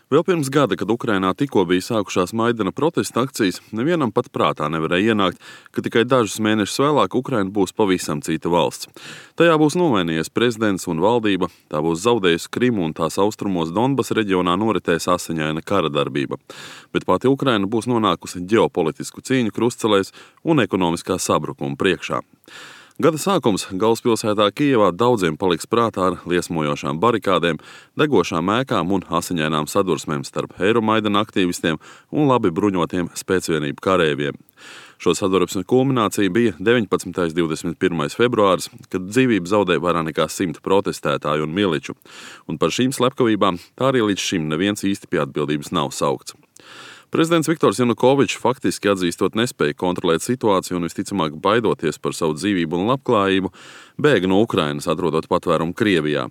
Vēl pirms gada, kad Ukrainā tikko bija sākušās Maidana protesta akcijas, nevienam pat prātā nevarēja ienākt, ka tikai dažus mēnešus vēlāk Ukraina būs pavisam cita valsts. Tajā būs nomainījies prezidents un valdība, tā būs zaudējusi Krimu un tās austrumos Donbas reģionā noritēs asiņaina kara darbība. Bet pati Ukraina būs nonākusi ģeopolitisku cīņu krustcelēs un ekonomiskā sabrukuma priekšā. Gada sākums galvaspilsētā Kijevā daudziem paliks prātā ar liesmojošām barikādēm, degošām ēkām un asiņainām sadursmēm starp Eiromaidana aktīvistiem un labi bruņotiem spēcvienību karējiem. Šo sadursmes kulminācija bija 19. 21. februāris, kad dzīvību zaudēja vairāk nekā 100 protestētāju un miliču, un par šīm slepkavībām tā arī līdz šim neviens īsti pie atbildības nav saukts. Prezidents Viktors Janukovičs faktiski atzīstot nespēju kontrolēt situāciju un visticamāk baidoties par savu dzīvību un labklājību, bēga no Ukrainas, atrodot patvērumu Krievijā.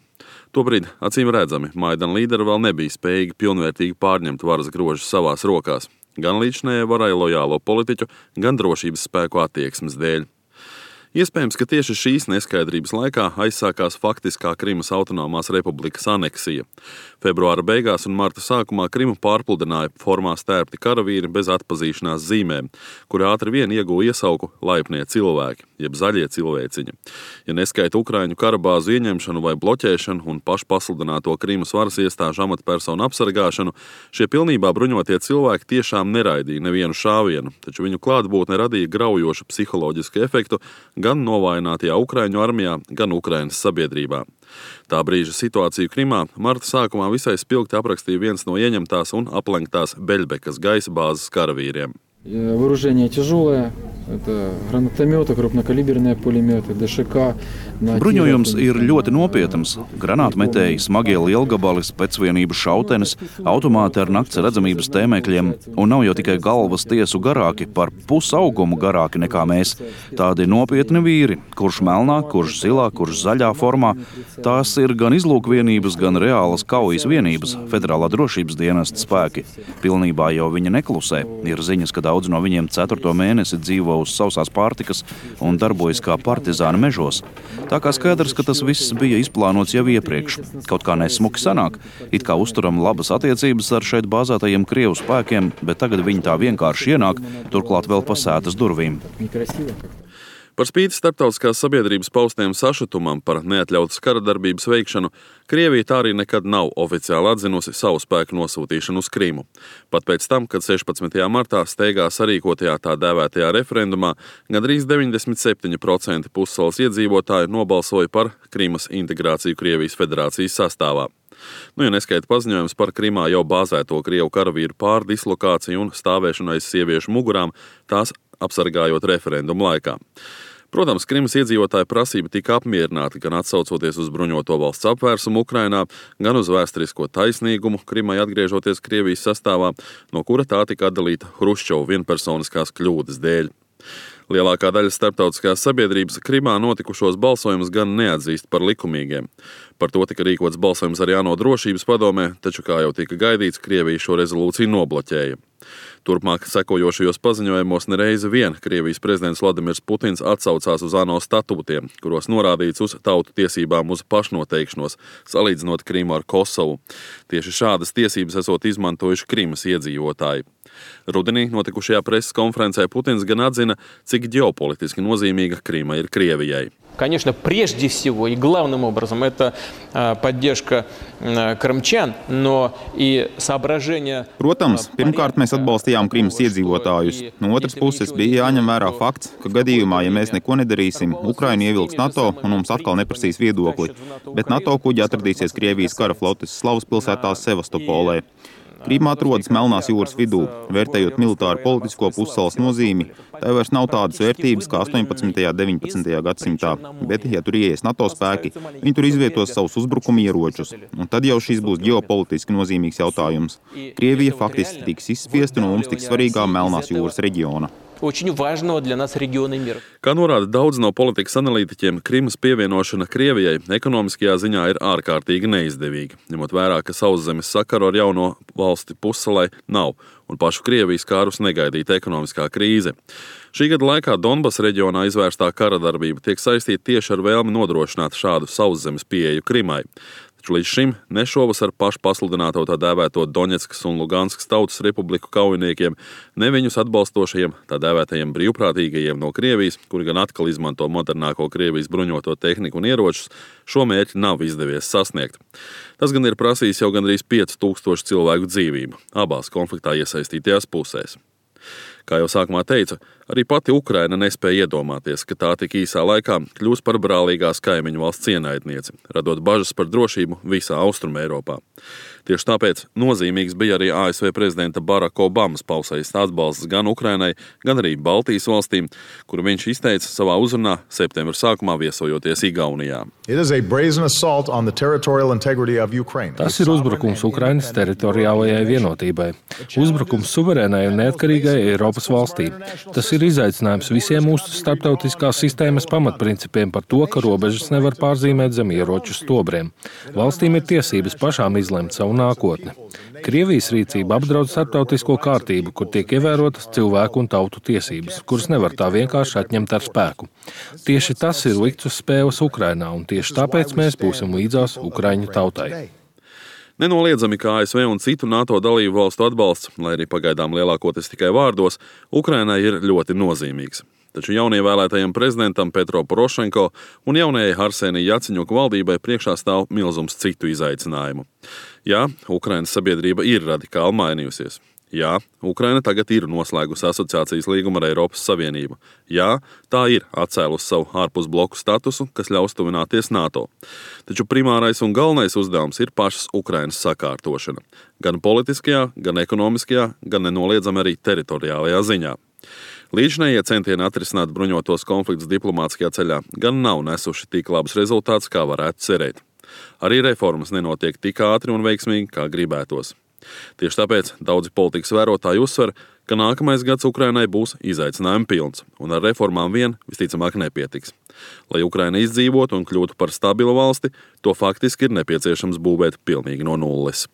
Tobrīd, acīm redzami, Maidana līderi vēl nebija spējīgi pilnvērtīgi pārņemt varas grožus savās rokās, gan līdzinējai varai lojālo politiķu, gan drošības spēku attieksmes dēļ. Iespējams, ka tieši šīs neskaidrības laikā aizsākās faktiskā Krimas autonomās republikas aneksija. Februāra beigās un marta sākumā Krimu pārpludināja formā stērpti karavīri bez atpazīšanās zīmēm, kuri ātri vien ieguva iesauku laipnie cilvēki, jeb zaļie cilvēciņi. Ja neskaita Ukraiņu karabāzu ieņemšanu vai bloķēšanu un pašpasludināto Krimas varas iestāžu amatpersonu apsargāšanu, šie pilnībā bruņotie cilvēki tiešām neraidīja nevienu šāvienu, taču viņu klātbūtne radīja graujošu psiholoģisku efektu gan novājinātajā Ukraiņu armijā, gan Ukrainas sabiedrībā. Tā brīža situāciju Krimā marta sākumā visai spilgti aprakstīja viens no ieņemtās un aplenktās Beļbekas gaisa bāzes karavīriem. Вооружение тяжелое, это гранатометы, крупнокалиберные пулеметы, ДШК. Bruņojums ir ļoti nopietns. Granātmetēji, smagie lielgabali, specvienības šautenes, automāti ar nakts redzamības tēmēkļiem, un nav jau tikai galvas tiesu garāki, par pusaugumu garāki nekā mēs. Tādi nopietni vīri, kurš melnā, kurš zilā, kurš zaļā formā. Tās ir gan izlūkvienības, gan reālas kaujas vienības, federālā drošības dienesta spēki. Pilnībā jau viņi neklusē. Ir ziņas, ka daudz no viņiem 4. mēnesi dzīvo uz sausās pārtikas un darbojas kā partizāni mežos. Tā kā skaidrs, ka tas viss bija izplānots jau iepriekš. Kaut kā nesmuki sanāk, it kā uzturam labas attiecības ar šeit bāzētajiem Krievu spēkiem, bet tagad viņi tā vienkārši ienāk, turklāt vēl pa sētas durvīm. Par spīti starptautiskās sabiedrības paustiem sašutumam par neatļautas kara darbības veikšanu, Krievija tā arī nekad nav oficiāli atzinusi savu spēku nosūtīšanu uz Krimu. Pat pēc tam, kad 16. martā steigā sarīkotajā tā dēvētajā referendumā gandrīz 97% pussalas iedzīvotāji nobalsoja par Krimas integrāciju Krievijas federācijas sastāvā. Ja neskaita paziņojums par Krimā jau bāzēto Krievu karavīru pārdislokāciju un stāvēšanu aiz sieviešu mugurām, tās apsargājot referendumu laikā. Protams, Krimas iedzīvotāju prasība tika apmierināta gan atsaucoties uz bruņoto valsts apvērsumu Ukrainā, gan uz vēsturisko taisnīgumu Krimai atgriežoties Krievijas sastāvā, no kura tā tika atdalīta Hruščova vienpersoniskās kļūdas dēļ. Lielākā daļa starptautiskās sabiedrības Krimā notikušos balsojumus gan neatzīst par likumīgiem. Par to tika rīkots balsojums arī ANO drošības padomē, taču, kā jau tika gaidīts, Krievija šo rezolūciju nobloķēja. Turpmāk sekojošajos paziņojumos nereizi vien Krievijas prezidents Vladimirs Putins atsaucās uz ANO statūtiem, kuros norādīts uz tautu tiesībām uz pašnoteikšanos, salīdzinot Krimu ar Kosovu. Tieši šādas tiesības esot izmantojuši Krimas iedzīvotāji. Rudenī notikušajā preses konferencē Putins gan atzina, cik ģeopolitiski nozīmīga Krima ir Krievijai. Конечно, прежде всего и главным образом это поддержка крымчан, но и соображения... Protams, pirmkārt mēs atbalstījām Krimas iedzīvotājus. No otras puses bija jāņem vērā fakts, ka gadījumā, ja mēs neko nedarīsim, Ukraina ievilks NATO un mums atkal neprasīs viedokli. Bet NATO kuģi atradīsies Krievijas kara flotes Slavas pilsētā Sevastopolē. Krīma atrodas Melnās jūras vidū, vērtējot militāru politisko pussalas nozīmi. Tā vairs nav tādas vērtības kā 18. un 19. gadsimtā, bet, ja tur ieies NATO spēki, viņi tur izvietos savus uzbrukuma ieročus. Un tad jau šis būs ģeopolitiski nozīmīgs jautājums. Krievija faktiski tiks izspiesta no mums tik svarīgā Melnās jūras reģiona. Очень важного для нас региона мира. Kā norāda daudz no politikas analītiķiem, Krimas pievienošana Krievijai ekonomiskajā ziņā ir ārkārtīgi neizdevīga, ņemot vērā, ka sauszemes sakaru ar jauno valsti pussalai nav un pašu Krievijas kārus negaidīta ekonomiskā krīze. Šī gada laikā Donbas reģionā izvērstā kara darbība tiek saistīta tieši ar vēlmi nodrošināt šādu sauszemes pieeju Krimai. taču līdz šim ne šovasar pašu pasludināto tā dēvēto Doņetskas un Luganskas tautas republiku kaujiniekiem, ne viņus atbalstošajiem tā dēvētajiem brīvprātīgajiem no Krievijas, kuri gan atkal izmanto modernāko Krievijas bruņoto tehniku un ieročus, šo mērķi nav izdevies sasniegt. Tas gan ir prasījis jau gandrīz 5000 cilvēku dzīvību abās konfliktā iesaistītajās pusēs. Kā jau sākumā teicu, arī pati Ukraina nespēja iedomāties, ka tā tik īsā laikā kļūs par brālīgās kaimiņu valsts ienaidnieci, radot bažas par drošību visā Austruma Eiropā. Tieši tāpēc nozīmīgs bija arī ASV prezidenta Baraka Obamas pausējis atbalsts gan Ukrainai, gan arī Baltijas valstīm, kuru viņš izteica savā uzrunā septembra sākumā viesojoties Igaunijā. Tas ir uzbrukums Ukrainas teritoriālajai vienotībai, uzbrukums suverēnai un neatkarīgai Eiropas valstī. Tas ir izaicinājums visiem mūsu starptautiskās sistēmas pamatprincipiem par to, ka robežas nevar pārzīmēt zem ieroču stobriem. Valstīm ir tiesības pašām izlemt savu nākotni. Krievijas rīcība apdraud starptautisko kārtību, kur tiek ievērotas cilvēku un tautu tiesības, kuras nevar tā vienkārši atņemt ar spēku. Tieši tas ir likts uz spēles Ukrainā, un tieši tāpēc mēs būsim līdzās Ukraiņu tautai. Nenoliedzami, ka ASV un citu NATO dalību valstu atbalsts, lai arī pagaidām lielākoties tikai vārdos, Ukrainai ir ļoti nozīmīgs. Taču jaunievēlētajam prezidentam Petro Porošenko un jaunajai Arsenija Jaceņuka valdībai priekšā stāv milzums citu izaicinājumu. Jā, Ukrainas sabiedrība ir radikāli mainījusies. Jā, Ukraina tagad ir noslēgusi asociācijas līgumu ar Eiropas Savienību. Jā, tā ir atcēlusi savu ārpusbloku statusu, kas ļaus tuvināties NATO. Taču primārais un galvenais uzdevums ir pašas Ukrainas sakārtošana. Gan politiskajā, gan ekonomiskajā, gan nenoliedzami arī teritoriālajā ziņā. Līdzinējie centieni atrisināt bruņotos konfliktus diplomātiskajā ceļā gan nav nesuši tik labus rezultātus, kā varētu cerēt. Arī reformas nenotiek tik ātri un veiksmīgi, kā gribētos. Tieši tāpēc daudzi politikas vērotāji uzsver, ka nākamais gads Ukrainai būs izaicinājumi pilns, un ar reformām vien visticamāk nepietiks. Lai Ukraina izdzīvotu un kļūtu par stabilu valsti, to faktiski ir nepieciešams būvēt pilnīgi no nulles.